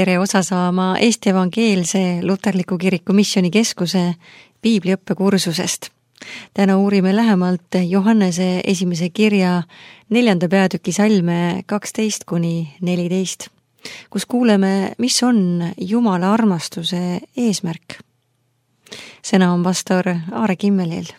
tere osa saama Eesti Evangeelse Luterliku Kiriku Missioonikeskuse piibliõppekursusest. Täna uurime lähemalt Johannese esimese kirja 4. peatüki salme 12-14, kus kuuleme, mis on Jumala armastuse eesmärk. Sõna on pastor Aare Kimmelil.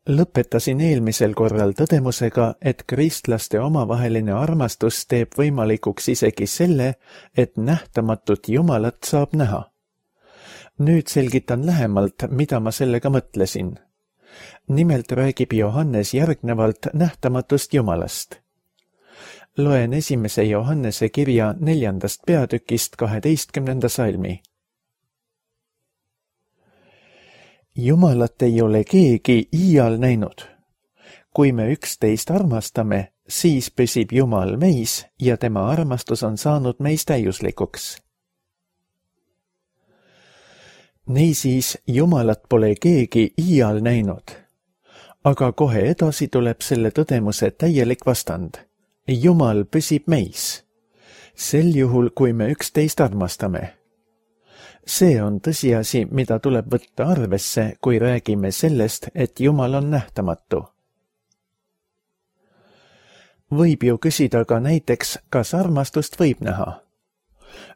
Lõpetasin eelmisel korral tõdemusega, et kristlaste omavaheline armastus teeb võimalikuks isegi selle, et nähtamatut Jumalat saab näha. Nüüd selgitan lähemalt, mida ma sellega mõtlesin. Nimelt räägib Johannes järgnevalt nähtamatust Jumalast. Loen 1. Johannese kirja 4. peatükist 12. salmi. Jumalat ei ole keegi iial näinud. Kui me üksteist armastame, siis püsib Jumal meis ja tema armastus on saanud meis täiuslikuks. Niisiis, Jumalat pole keegi iial näinud. Aga kohe edasi tuleb selle tõdemuse täielik vastand. Jumal püsib meis. Sel juhul, kui me üksteist armastame. See on tõsiasi, mida tuleb võtta arvesse, kui räägime sellest, et Jumal on nähtamatu. Võib ju küsida ka näiteks, kas armastust võib näha?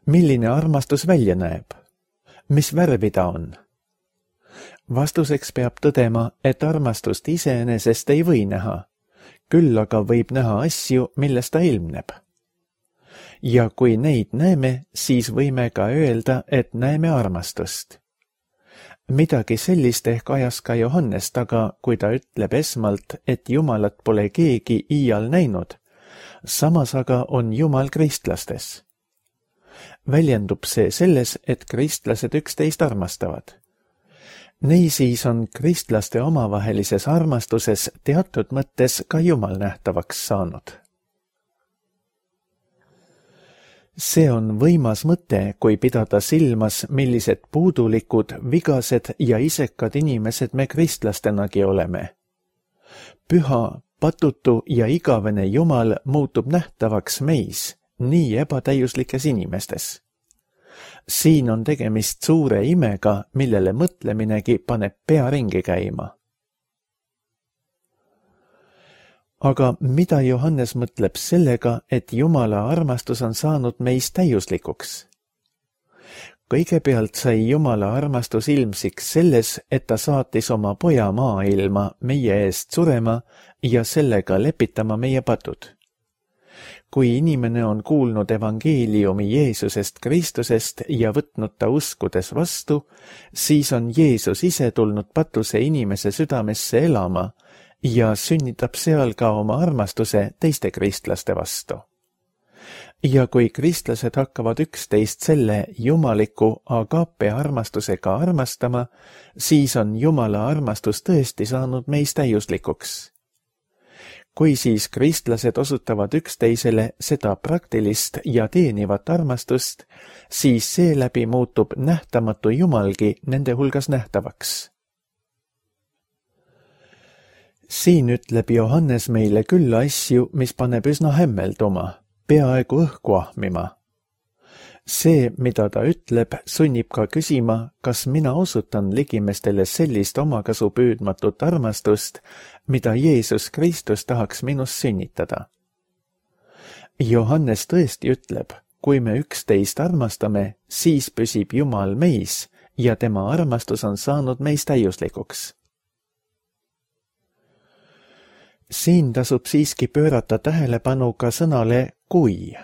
Milline armastus välja näeb? Mis värvi ta on? Vastuseks peab tõdema, et armastust iseenesest ei või näha, küll aga võib näha asju, millest ta ilmneb. Ja kui neid näeme, siis võime ka öelda, et näeme armastust. Midagi sellist ehk ajas ka Johannes taga, kui ta ütleb esmalt, et Jumalat pole keegi iial näinud, samas aga on Jumal kristlastes. Väljendub see selles, et kristlased üksteist armastavad. Niisiis on kristlaste omavahelises armastuses teatud mõttes ka Jumal nähtavaks saanud. See on võimas mõte, kui pidada silmas, millised puudulikud, vigased ja isekad inimesed me kristlastenagi oleme. Püha, patutu ja igavene Jumal muutub nähtavaks meis, nii ebatäiuslikes inimestes. Siin on tegemist suure imega, millele mõtleminegi paneb pea ringi käima. Aga mida Johannes mõtleb sellega, et Jumala armastus on saanud meis täiuslikuks? Kõigepealt sai Jumala armastus ilmsiks selles, et ta saatis oma poja maailma meie eest surema ja sellega lepitama meie patud. Kui inimene on kuulnud evangeeliumi Jeesusest Kristusest ja võtnud ta uskudes vastu, siis on Jeesus ise tulnud patuse inimese südamesse elama ja sünnitab seal ka oma armastuse teiste kristlaste vastu. Ja kui kristlased hakkavad üksteist selle jumaliku agape armastusega armastama, siis on Jumala armastus tõesti saanud meis täiuslikuks. Kui siis kristlased osutavad üksteisele seda praktilist ja teenivat armastust, siis seeläbi muutub nähtamatu Jumalgi nende hulgas nähtavaks. Siin ütleb Johannes meile küll asju, mis paneb üsna hämmelduma, peaaegu õhku ahmima. See, mida ta ütleb, sunnib ka küsima, kas mina osutan ligimestele sellist omakasu püüdmatut armastust, mida Jeesus Kristus tahaks minust sünnitada. Johannes tõesti ütleb, kui me üksteist armastame, siis püsib Jumal meis ja tema armastus on saanud meis täiuslikuks. Siin tasub siiski pöörata tähelepanu ka sõnale kui.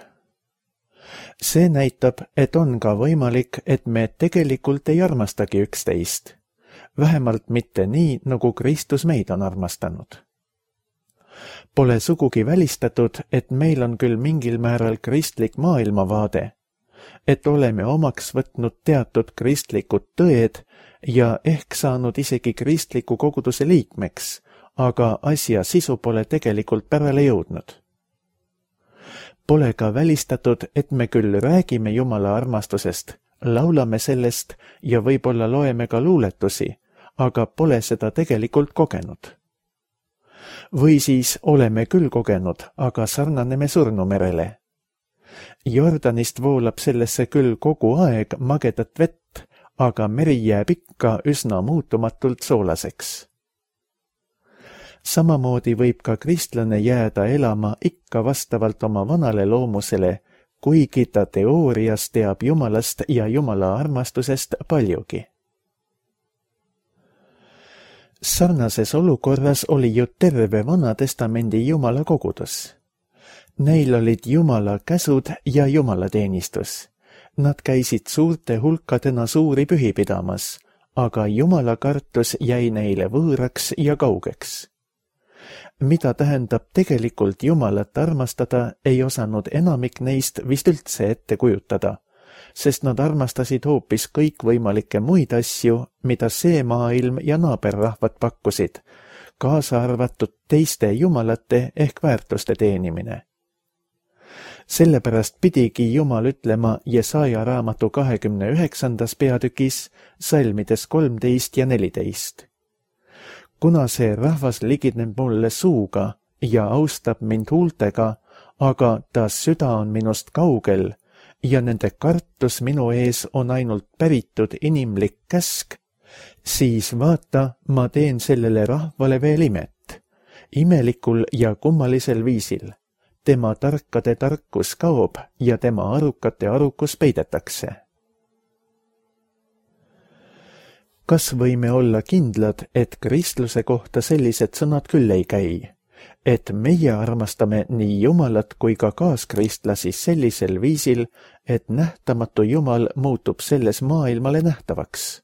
See näitab, et on ka võimalik, et me tegelikult ei armastagi üksteist, vähemalt mitte nii, nagu Kristus meid on armastanud. Pole sugugi välistatud, et meil on küll mingil määral kristlik maailmavaade, et oleme omaks võtnud teatud kristlikud tõed ja ehk saanud isegi kristliku koguduse liikmeks, aga asja sisu pole tegelikult pärale jõudnud. Pole ka välistatud, et me küll räägime Jumala armastusest, laulame sellest ja võib-olla loeme ka luuletusi, aga pole seda tegelikult kogenud. Või siis oleme küll kogenud, aga sarnaneme surnumerele. Jordanist voolab sellesse küll kogu aeg magedat vett, aga meri jääb ikka üsna muutumatult soolaseks. Samamoodi võib ka kristlane jääda elama ikka vastavalt oma vanale loomusele, kuigi ta teoorias teab Jumalast ja Jumala armastusest paljugi. Sarnases olukorras oli ju terve Vana Testamendi Jumala kogudus. Neil olid Jumala käsud ja jumalateenistus. Nad käisid suurte hulkadena suuri pühi pidamas, aga Jumala kartus jäi neile võõraks ja kaugeks. Mida tähendab tegelikult Jumalat armastada, ei osanud enamik neist vist üldse ette kujutada, sest nad armastasid hoopis kõikvõimalikke muid asju, mida see maailm ja naaberrahvad pakkusid, kaasa arvatud teiste jumalate ehk väärtuste teenimine. Sellepärast pidigi Jumal ütlema Jesaja raamatu 29. peatükis salmides 13 ja 14. Kuna see rahvas ligineb mulle suuga ja austab mind huultega, aga ta süda on minust kaugel ja nende kartus minu ees on ainult päritud inimlik käsk, siis vaata, ma teen sellele rahvale veel imet, imelikul ja kummalisel viisil. Tema tarkade tarkus kaob ja tema arukate arukus peidetakse. Kas võime olla kindlad, et kristluse kohta sellised sõnad küll ei käi, et meie armastame nii Jumalat kui ka kaaskristlasi sellisel viisil, et nähtamatu Jumal muutub selles maailmale nähtavaks?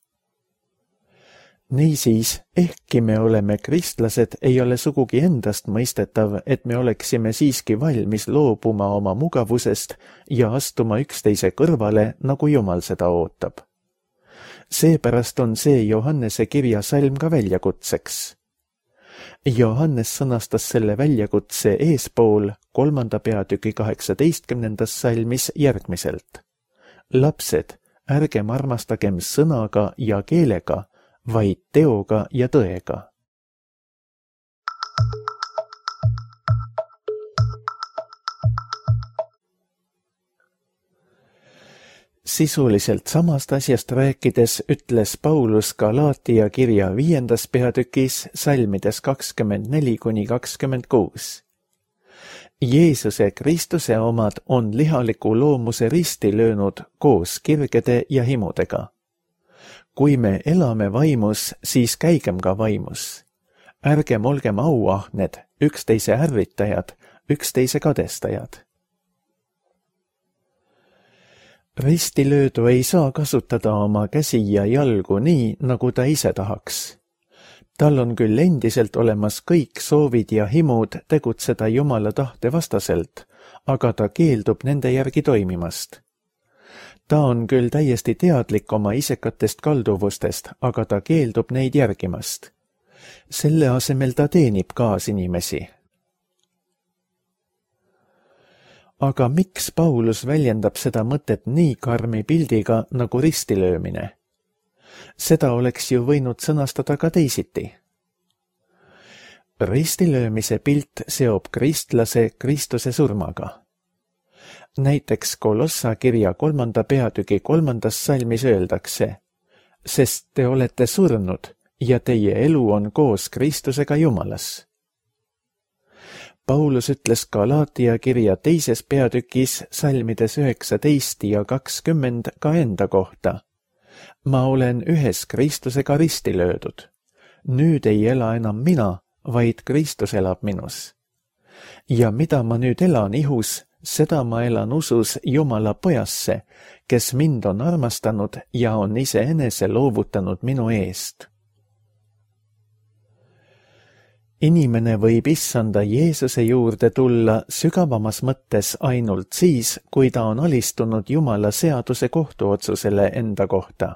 Niisiis, ehkki me oleme kristlased, ei ole sugugi endast mõistetav, et me oleksime siiski valmis loobuma oma mugavusest ja astuma üksteise kõrvale, nagu Jumal seda ootab. Seepärast on see Johannese kirja salm ka väljakutseks. Johannes sõnastas selle väljakutse eespool 3. peatüki 18. salmis järgmiselt. Lapsed, ärgem armastagem sõnaga ja keelega, vaid teoga ja tõega. Sisuliselt samast asjast rääkides ütles Paulus Galaatia kirja 5. peatükis salmides 24–26. Jeesuse Kristuse omad on lihaliku loomuse risti löönud koos kirgede ja himudega. Kui me elame vaimus, siis käigem ka vaimus. Ärgem olgem auahned, üksteise ärritajad, üksteise kadestajad. Ristilöödu ei saa kasutada oma käsi ja jalgu nii, nagu ta ise tahaks. Tal on küll endiselt olemas kõik soovid ja himud tegutseda Jumala tahte vastaselt, aga ta keeldub nende järgi toimimast. Ta on küll täiesti teadlik oma isekatest kalduvustest, aga ta keeldub neid järgimast. Selle asemel ta teenib kaasinimesi. Aga miks Paulus väljendab seda mõtet nii karmi pildiga nagu ristilöömine? Seda oleks ju võinud sõnastada ka teisiti. Ristilöömise pilt seob kristlase Kristuse surmaga. Näiteks Kolossa kirja 3. peatüki 3. salmis öeldakse, sest te olete surnud ja teie elu on koos Kristusega Jumalas. Paulus ütles Galaatia kirja 2. peatükis salmides 19 ja 20 ka enda kohta. Ma olen ühes Kristusega risti löödud. Nüüd ei ela enam mina, vaid Kristus elab minus. Ja mida ma nüüd elan ihus, seda ma elan usus Jumala pojasse, kes mind on armastanud ja on iseenese loovutanud minu eest. Inimene võib issanda Jeesuse juurde tulla sügavamas mõttes ainult siis, kui ta on alistunud Jumala seaduse kohtuotsusele enda kohta.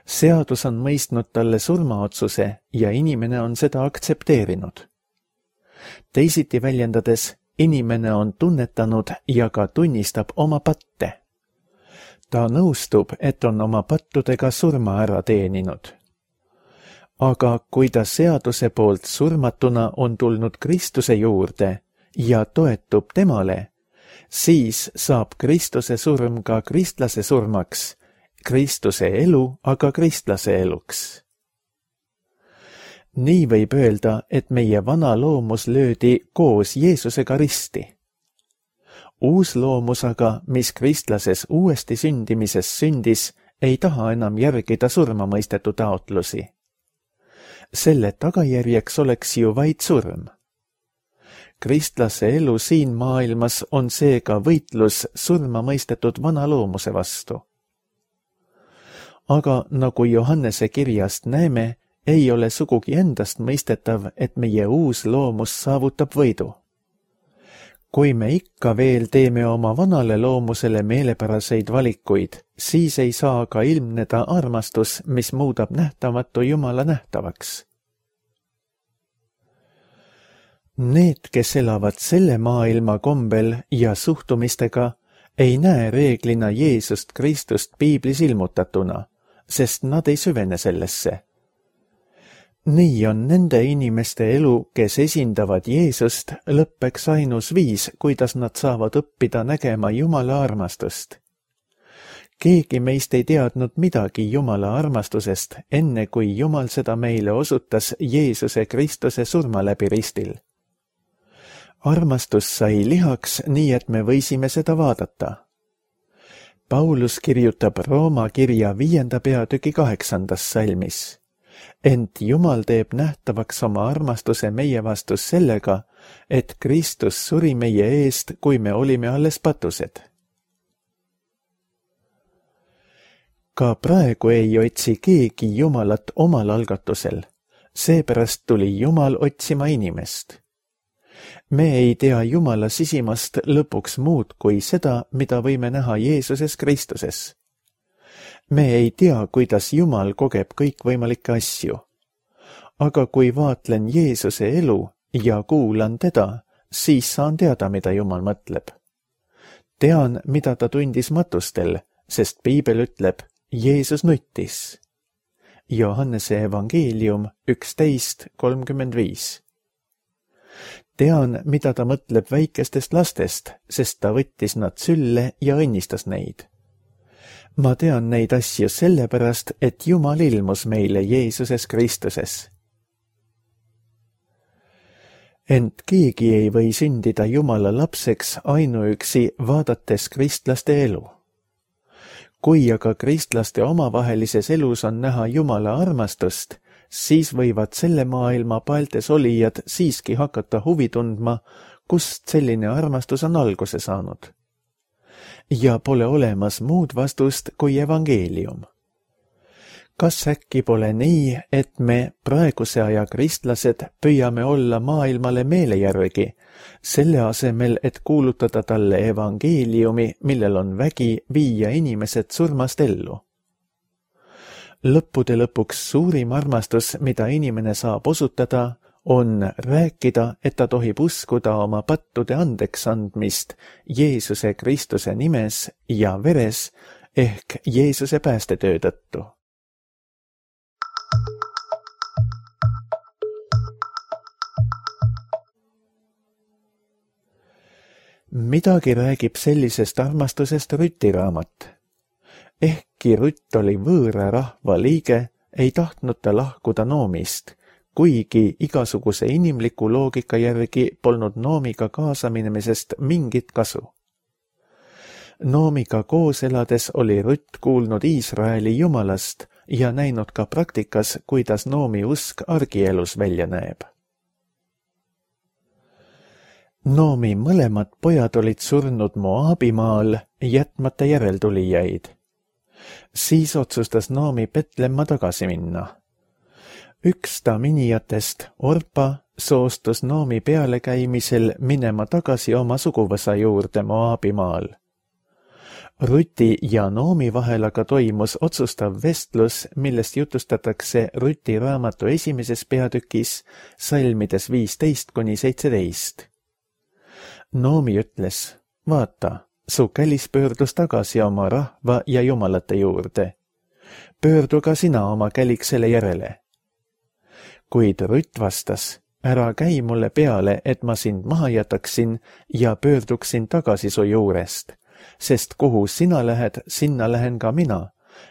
Seadus on mõistnud talle surmaotsuse ja inimene on seda aktsepteerinud. Teisiti väljendades, inimene on tunnetanud ja ka tunnistab oma patte. Ta nõustub, et on oma pattudega surma ära teeninud. aga kui ta seaduse poolt surmatuna on tulnud Kristuse juurde ja toetub temale, siis saab Kristuse surm ka kristlase surmaks, Kristuse elu aga kristlase eluks. Nii võib öelda, et meie vana loomus löödi koos Jeesusega risti. Uus loomus aga, mis kristlases uuesti sündimises sündis, ei taha enam järgida surmamõistetu taotlusi. Selle tagajärjeks oleks ju vaid surm. Kristlase elu siin maailmas on seega võitlus surmamõistetud vana loomuse vastu. Aga nagu Johannese kirjast näeme, ei ole sugugi endast mõistetav, et meie uus loomus saavutab võidu. Kui me ikka veel teeme oma vanale loomusele meelepäraseid valikuid, siis ei saa ka ilmneda armastus, mis muudab nähtamatu Jumala nähtavaks. Need, kes elavad selle maailma kombel ja suhtumistega, ei näe reeglina Jeesust Kristust piiblis ilmutatuna, sest nad ei süvene sellesse. Nii on nende inimeste elu, kes esindavad Jeesust, lõppeks ainus viis, kuidas nad saavad õppida nägema Jumala armastust. Keegi meist ei teadnud midagi Jumala armastusest, enne kui Jumal seda meile osutas Jeesuse Kristuse surma läbi ristil. Armastus sai lihaks, nii et me võisime seda vaadata. Paulus kirjutab Rooma kirja 5. peatüki 8. salmis. Ent Jumal teeb nähtavaks oma armastuse meie vastus sellega, et Kristus suri meie eest, kui me olime alles patused. Ka praegu ei otsi keegi Jumalat omal algatusel, seepärast tuli Jumal otsima inimest. Me ei tea Jumala sisimast lõpuks muud kui seda, mida võime näha Jeesuses Kristuses. Me ei tea, kuidas Jumal kogeb kõikvõimalikke asju. Aga kui vaatlen Jeesuse elu ja kuulan teda, siis saan teada, mida Jumal mõtleb. Tean, mida ta tundis matustel, sest Piibel ütleb, Jeesus nuttis. Johannese evangeelium 11:35. Tean, mida ta mõtleb väikestest lastest, sest ta võttis nad sülle ja õnnistas neid. Ma tean neid asju sellepärast, et Jumal ilmus meile Jeesuses Kristuses. Ent keegi ei või sündida Jumala lapseks ainuüksi vaadates kristlaste elu. Kui aga kristlaste omavahelises elus on näha Jumala armastust, siis võivad selle maailma paeltes olijad siiski hakata huvi tundma, kust selline armastus on alguse saanud. Ja pole olemas muud vastust kui evangeelium. Kas äkki pole nii, et me praeguse aja kristlased püüame olla maailmale meele järgi, selle asemel, et kuulutada talle evangeeliumi, millel on vägi viia inimesed surmast ellu? Lõppude lõpuks suurim armastus, mida inimene saab osutada, on rääkida, et ta tohib uskuda oma pattude andeks andmist Jeesuse Kristuse nimes ja veres ehk Jeesuse päästetöö tõttu. Midagi räägib sellisest armastusest Rüti raamat. Ehkki Rütt oli võõra rahva liige, ei tahtnud ta lahkuda Noomist, kuigi igasuguse inimliku loogika järgi polnud Noomiga kaasaminemisest mingit kasu. Noomiga koos elades oli Rütt kuulnud Iisraeli Jumalast ja näinud ka praktikas, kuidas Noomi usk argielus välja näeb. Noomi mõlemad pojad olid surnud Moabimaal, jätmata järeltulijaid. Siis otsustas Noomi Betlemma tagasi minna. Üks ta minijatest, Orpa, soostus Noomi pealekäimisel minema tagasi oma suguvõsa juurde Moabimaal. Rüti ja Noomi vahel aga toimus otsustav vestlus, millest jutustatakse Rüti raamatu 1. peatükis, salmides 15-17. Noomi ütles, vaata, su kälis pöördus tagasi oma rahva ja jumalate juurde. Pöördu ka sina oma käliksele järele. kuid Rutt vastas: ära käi mulle peale, et ma sind maha jätaksin ja pöörduksin tagasi su juurest, sest kuhu sina lähed, sinna lähen ka mina,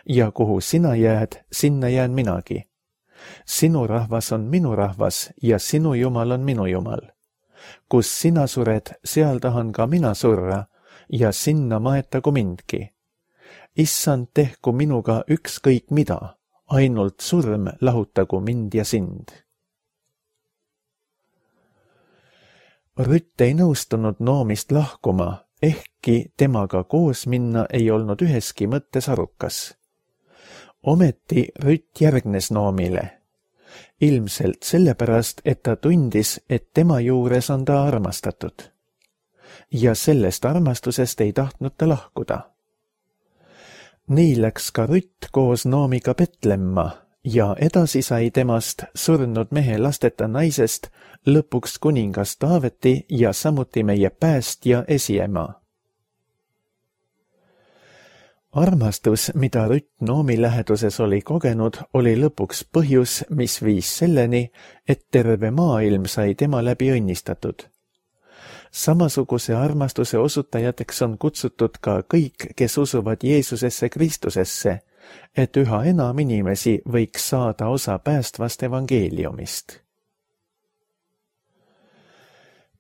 ja kuhu sina jääd, sinna jään minagi. Sinu rahvas on minu rahvas ja sinu Jumal on minu Jumal. Kus sina sured, seal tahan ka mina surra ja sinna maetagu mindki. Issand, tehku minuga ükskõik mida, ainult surm lahutagu mind ja sind. Rutt ei nõustunud Noomist lahkuma, ehkki temaga koos minna ei olnud üheski mõttes arukas. Ometi Rutt järgnes Noomile. Ilmselt sellepärast, et ta tundis, et tema juures on ta armastatud. Ja sellest armastusest ei tahtnud ta lahkuda. Nii läks ka Rutt koos Noomiga Betlemma ja edasi sai temast surnud mehe lasteta naisest lõpuks kuningas Taaveti ja samuti meie päästja esiema. Armastus, mida Rutt Noomi läheduses oli kogenud, oli lõpuks põhjus, mis viis selleni, et terve maailm sai tema läbi õnnistatud. Samasuguse armastuse osutajateks on kutsutud ka kõik, kes usuvad Jeesusesse Kristusesse, et üha enam inimesi võiks saada osa päästvast evangeeliumist.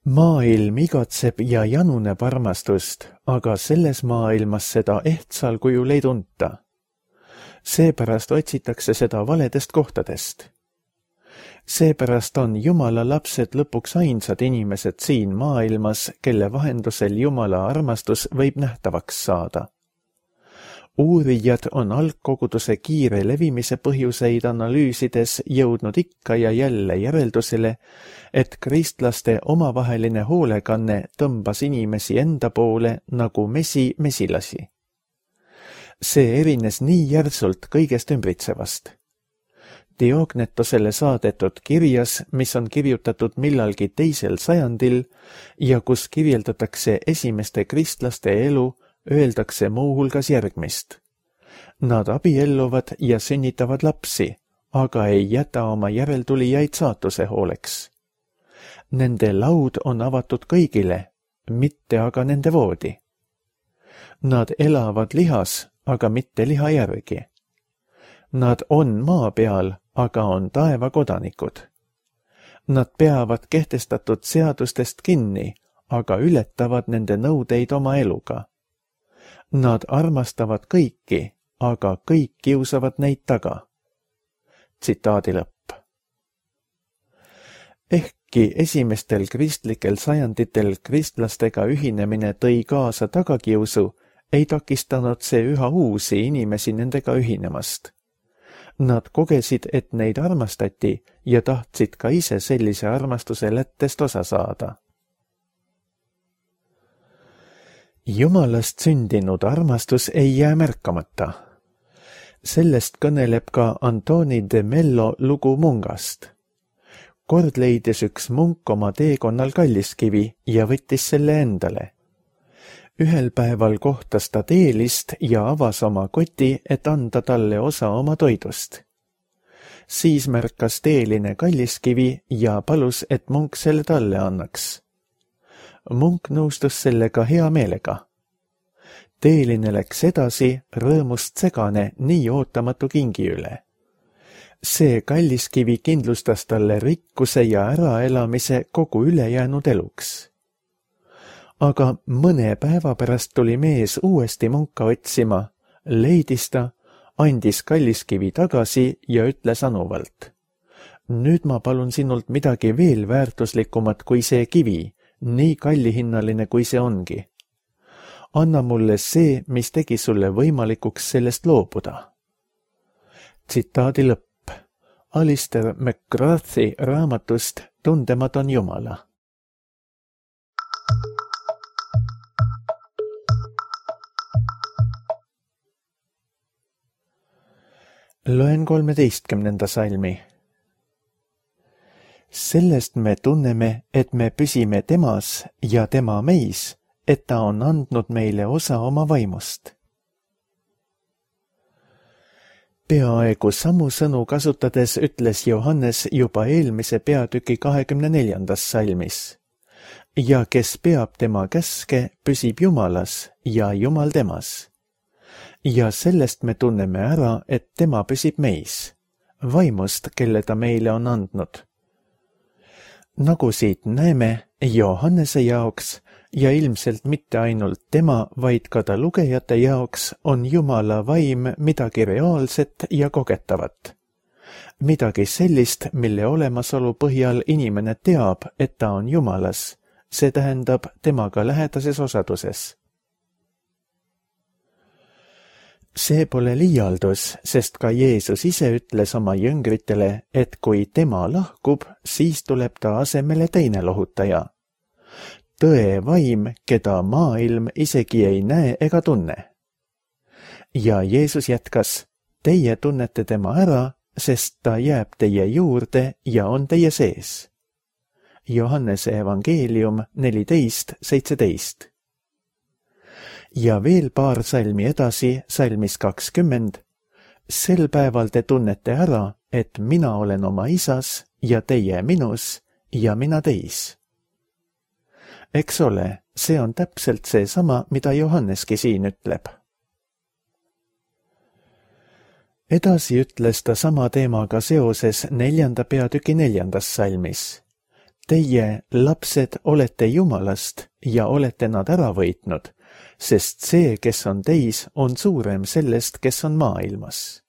Maailm igatseb ja januneb armastust, aga selles maailmas seda ehtsal kujul ei tunta. Seepärast otsitakse seda valedest kohtadest. Seepärast on Jumala lapsed lõpuks ainsad inimesed siin maailmas, kelle vahendusel Jumala armastus võib nähtavaks saada. Uurijad on algkoguduse kiire levimise põhjuseid analüüsides jõudnud ikka ja jälle järeldusele, et kristlaste omavaheline hoolekanne tõmbas inimesi enda poole nagu mesi mesilasi. See erines nii järsult kõigest ümbritsevast. Diognetosele saadetud kirjas, mis on kirjutatud millalgi 2. sajandil ja kus kirjeldatakse esimeste kristlaste elu, öeldakse muuhulgas järgmist. Nad abielluvad ja sünnitavad lapsi, aga ei jäta oma järeltulijaid saatuse hooleks. Nende laud on avatud kõigile, mitte aga nende voodi. Nad elavad lihas, aga mitte liha järgi. Nad on maa peal, aga on taeva kodanikud. Nad peavad kehtestatud seadustest kinni, aga ületavad nende nõudeid oma eluga. Nad armastavad kõiki, aga kõik kiusavad neid taga. Tsitaadi lõpp. Ehkki esimestel kristlikel sajanditel kristlastega ühinemine tõi kaasa tagakiusu, ei takistanud see üha uusi inimesi nendega ühinemast. Nad kogesid, et neid armastati ja tahtsid ka ise sellise armastuse lättest osa saada. Jumalast sündinud armastus ei jää märkamata. Sellest kõneleb ka Antoni de Mello lugu mungast. Kord leidis üks munk oma teekonnal kalliskivi ja võttis selle endale. Ühel päeval kohtas ta teelist ja avas oma koti, et anda talle osa oma toidust. Siis märkas teeline kalliskivi ja palus, et munk selle talle annaks. Munk nõustus sellega hea meelega. Teeline läks edasi, rõõmust segane nii ootamatu kingi üle. See kalliskivi kindlustas talle rikkuse ja äraelamise kogu ülejäänud eluks. Aga mõne päeva pärast tuli mees uuesti munka otsima, leidis ta, andis kalliskivi tagasi ja ütles anuvalt. Nüüd ma palun sinult midagi veel väärtuslikumat kui see kivi, nii kallihinnaline kui see ongi. Anna mulle see, mis tegi sulle võimalikuks sellest loobuda. Tsitaadi lõpp. Alistair McGrath'i raamatust Tundemad on Jumala. Loen 13. salmi. Sellest me tunneme, et me püsime temas ja tema meis, et ta on andnud meile osa oma vaimust. Peaaegu samu sõnu kasutades ütles Johannes juba eelmise peatüki 24. salmis. Ja kes peab tema käske, püsib Jumalas ja Jumal temas. Ja sellest me tunneme ära, et tema püsib meis, vaimust, kelle ta meile on andnud. Nagu siit näeme, Johannese jaoks ja ilmselt mitte ainult tema, vaid ka ta lugejate jaoks on Jumala vaim midagi reaalset ja kogetavat. Midagi sellist, mille olemasolu põhjal inimene teab, et ta on Jumalas, see tähendab temaga lähedases osaduses. See pole liialdus, sest ka Jeesus ise ütles oma jüngritele, et kui tema lahkub, siis tuleb ta asemele teine lohutaja. Tõe vaim, keda maailm isegi ei näe ega tunne. Ja Jeesus jätkas, teie tunnete tema ära, sest ta jääb teie juurde ja on teie sees. Johannese evangeelium 14:17. Ja veel paar salmi edasi, salmis 20. Sel päeval te tunnete ära, et mina olen oma isas ja teie minus ja mina teis. Eks ole, see on täpselt seesama, mida Johanneski siin ütleb. Edasi ütles ta sama teemaga seoses 4. peatüki 4. salmis. Teie, lapsed, olete Jumalast ja olete nad ära võitnud, sest see, kes on teis, on suurem sellest, kes on maailmas.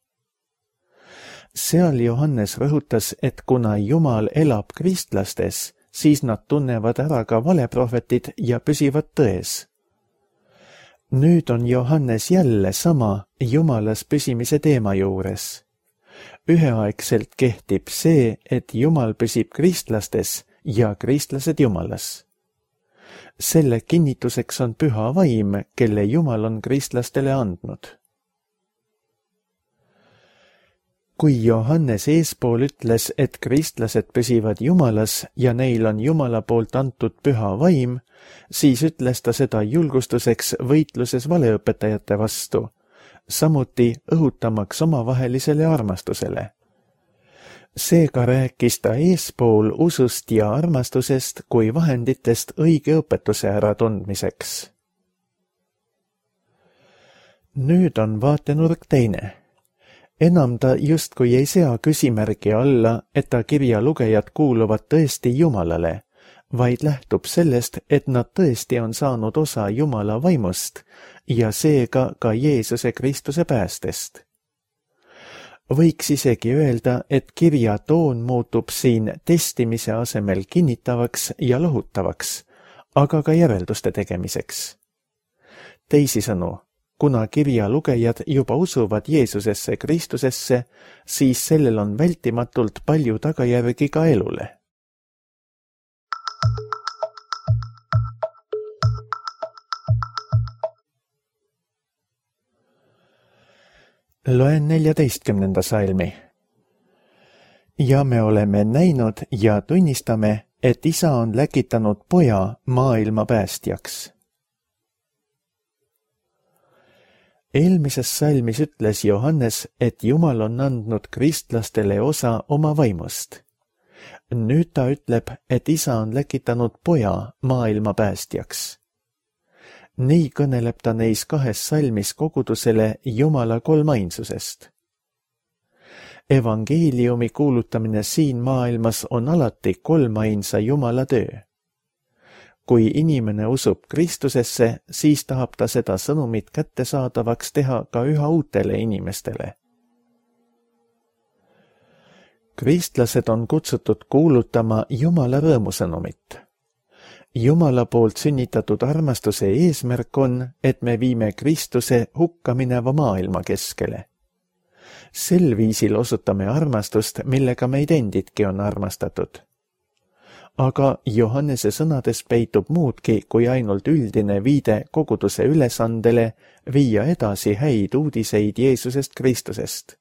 Seal Johannes rõhutas, et kuna Jumal elab kristlastes, siis nad tunnevad ära ka valeprohvetid ja püsivad tões. Nüüd on Johannes jälle sama Jumalas püsimise teema juures. Üheaegselt kehtib see, et Jumal püsib kristlastes ja kristlased Jumalas. Selle kinnituseks on püha vaim, kelle Jumal on kristlastele andnud. Kui Johannes eespool ütles, et kristlased püsivad Jumalas ja neil on Jumala poolt antud püha vaim, siis ütles ta seda julgustuseks võitluses valeõpetajate vastu, samuti õhutamaks omavahelisele armastusele. Seega rääkis ta eespool usust ja armastusest kui vahenditest õige õpetuse äratundmiseks. Nüüd on vaatenurk teine. Enam ta justkui ei sea küsimärgi alla, et ta kirja lugejad kuuluvad tõesti Jumalale, vaid lähtub sellest, et nad tõesti on saanud osa Jumala vaimust ja seega ka Jeesuse Kristuse päästest. Võiks isegi öelda, et kirja toon muutub siin testimise asemel kinnitavaks ja lohutavaks, aga ka järelduste tegemiseks. Teisisõnu, kuna kirja lugejad juba usuvad Jeesusesse Kristusesse, siis sellel on vältimatult palju tagajärgi ka elule. Loen 14. salmi. Ja me oleme näinud ja tunnistame, et Isa on läkitanud poja maailma päästjaks. Eelmises salmis ütles Johannes, et Jumal on andnud kristlastele osa oma vaimust. Nüüd ta ütleb, et Isa on läkitanud poja maailma päästjaks. Nii kõneleb ta neis 2 salmis kogudusele Jumala kolmainsusest. Evangeeliumi kuulutamine siin maailmas on alati kolmainsa Jumala töö. Kui inimene usub Kristusesse, siis tahab ta seda sõnumit kättesaadavaks teha ka üha uutele inimestele. Kristlased on kutsutud kuulutama Jumala rõõmusõnumit. Jumala poolt sünnitatud armastuse eesmärk on, et me viime Kristuse hukkamineva maailma keskele. Sel viisil osutame armastust, millega meid endidki on armastatud. Aga Johannese sõnades peitub muudki kui ainult üldine viide koguduse ülesandele viia edasi häid uudiseid Jeesusest Kristusest.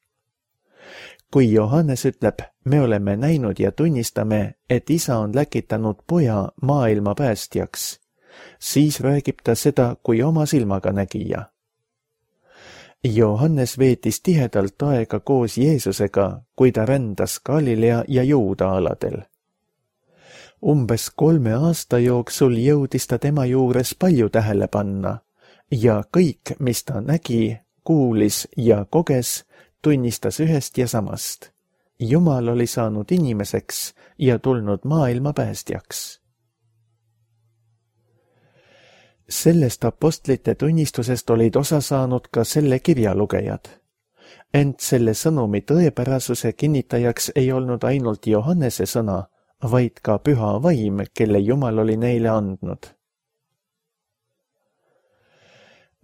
Kui Johannes ütleb, me oleme näinud ja tunnistame, et Isa on läkitanud poja maailma päästjaks, siis räägib ta seda kui oma silmaga nägija. Johannes veetis tihedalt aega koos Jeesusega, kui ta rändas Galilea ja Juuda aladel. Umbes 3 aasta jooksul jõudis ta tema juures palju tähele panna ja kõik, mis ta nägi, kuulis ja koges, tunnistas ühest ja samast. Jumal oli saanud inimeseks ja tulnud maailma päästjaks. Sellest apostlite tunnistusest olid osa saanud ka selle kirja lugejad. Ent selle sõnumi tõepärasuse kinnitajaks ei olnud ainult Johannese sõna, vaid ka püha vaim, kelle Jumal oli neile andnud.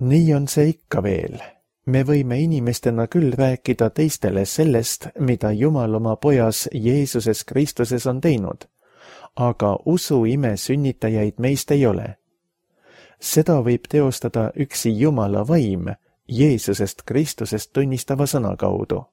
Nii on see ikka veel. Me võime inimestena küll rääkida teistele sellest, mida Jumal oma pojas Jeesuses Kristuses on teinud, aga usu ime sünnitajaid meist ei ole. Seda võib teostada üksi Jumala vaim Jeesusest Kristusest tunnistava sõna kaudu.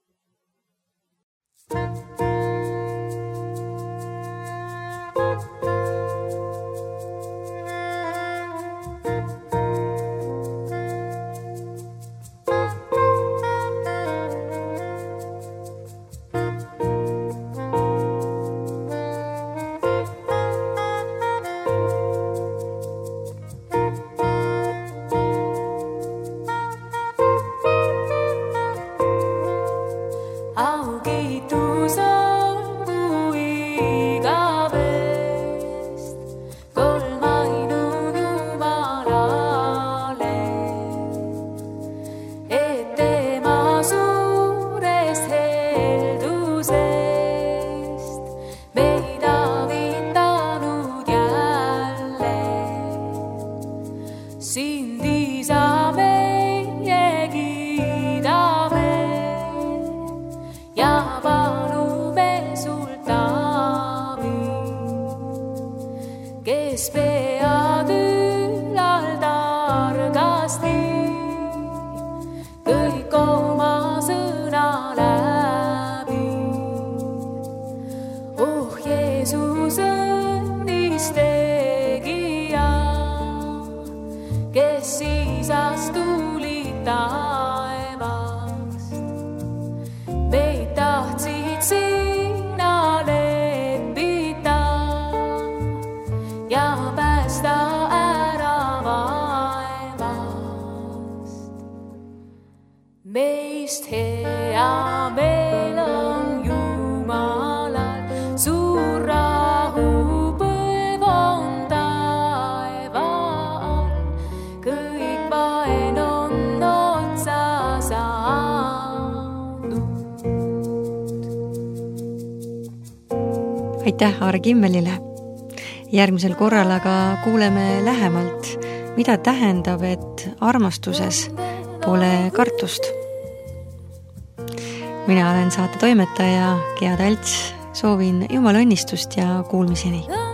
Meist hea meel on Jumalal, suur rahupõlv on taeval, kõik vaen on otsa saanud. Aitäh Aare Kimmelile! Järgmisel korral aga kuuleme lähemalt, mida tähendab, et armastuses pole kartust. Mina olen saate toimetaja Gea Talts, soovin Jumala õnnistust ja kuulmiseni!